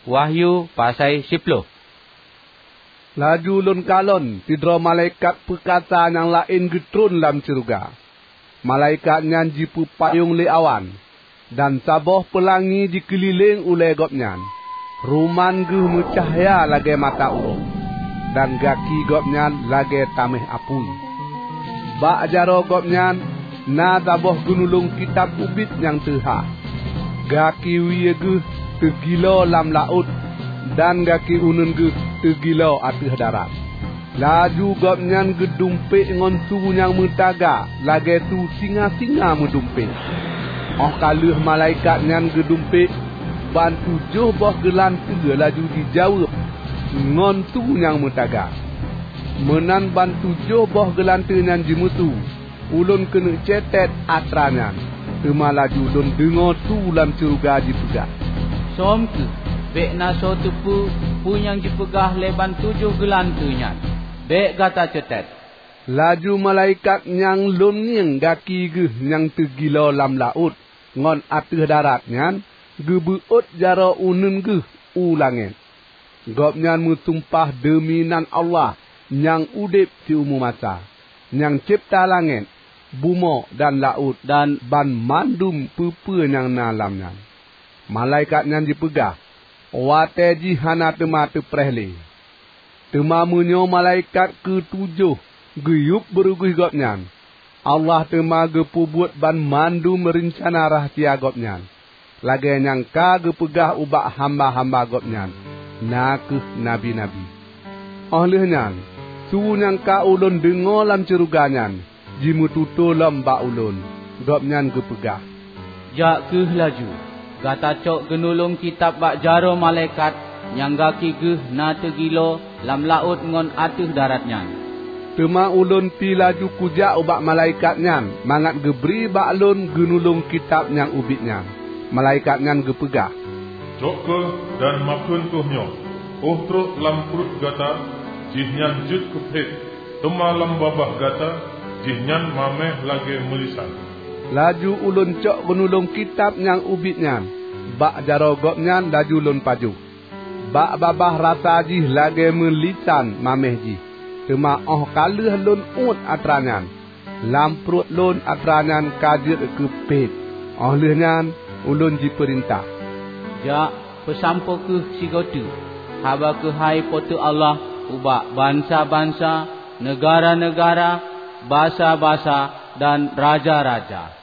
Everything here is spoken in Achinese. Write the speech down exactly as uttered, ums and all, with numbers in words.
Wahyu pasai siploh. Laju lôn kalon sidroe malaikat peukasa nyang laén geutron lam syeuruga. Malaikat nyan jipeupayong lé awan, dan saboh peulangi jikeulileng ulée gobnyan. Ruman geuh meucahya lagée mata uroe, dan gaki gobnyan lagée taméh apui. Bak jaroe gobnyan na saboh geunulông kitab ubit nyang teuhah. Gaki wie geuh teugilo lam laôt, dan gaki uneuen geuh teugilo ateueh darat. Laju gobnyan geudumpék ngon su nyang meutaga lagée su singa-singa meudumpék. Óh ka lheueh malaikat nyan geudumpék, ban tujoh boh geulanteue laju jijaweueb ngon su nyang meutaga. Meunan ban tujoh boh geulanteue nyan jimeusu, ulôn keuneuk cetet atra nyan, teuma laju lôn deungoe su lam syeuruga jipeugah, "Sôm kheueh, bék na soe teupeu peue nyang jipeugah lé ban tujoh geulanteue nyan. Bék gata cetet!" Laju malaikat nyang lôn ngieng gaki geuh nyang teugilo lam laôt ngon ateueh darat nyan geubeuôt jaroe uneuen geuh u langét. Gobnyan meusumpah deumi nan Allah nyang udeb siumu masa, nyang cebta langét, bumoe dan laôt dan banmandum peue-peue nyang na lam nyan. Malaikat nyan jipeugah, "Watée jih hana teuma teupreh lé." Teuma meunyoe malaikat keutujoh geuyueb beurugoih gobnyan, Allah teuma geupeubuet banmandum reuncana rahsia gobnyan, lagée nyang ka geupeugah ubak hamba-hamba gobnyan, na kheueh nabi-nabi. Óh lheueh nyan, su nyang ka ulôn deungoe lam syeuruga nyan jimeututoe lom bak ulôn. Gobnyan geupeugah, "Jak kheueh laju, gata cok geunulông kitab bak jaroe malaikat nyang gaki geuh na teugilo lam laôt ngon ateueh darat nyan." Teuma ulôn pi laju kujak ubak malaikat nyan mangat geubri bak lôn geunulông kitab nyang ubit nyan. Malaikat nyan geupeugah, "Cok kheueh dan makheun kheueh nyoe: 'Óh trok lam pruet gata, jihnyan jeuet keu phét, teuma lam babah gata, jihnyan maméh lagée meulisan.'" Laju ulôn cok geunulông kitab nyang ubit nyan bak jaroe gobnyan laju lôn pajoh. Bak babah rasa jih lagée meulisan maméh jih, teuma óh ka lheueh lôn uet atra nyan, lam pruet lôn atra nyan ka jeuet keu phét. Óh lheueh nyan ulôn jipeurintah, "Jak, peusampoe kheueh sigoe teuk haba keuhai Po teu Allah ubak bansa-bansa, neugara-neugara, basa-basa, dan raja-raja."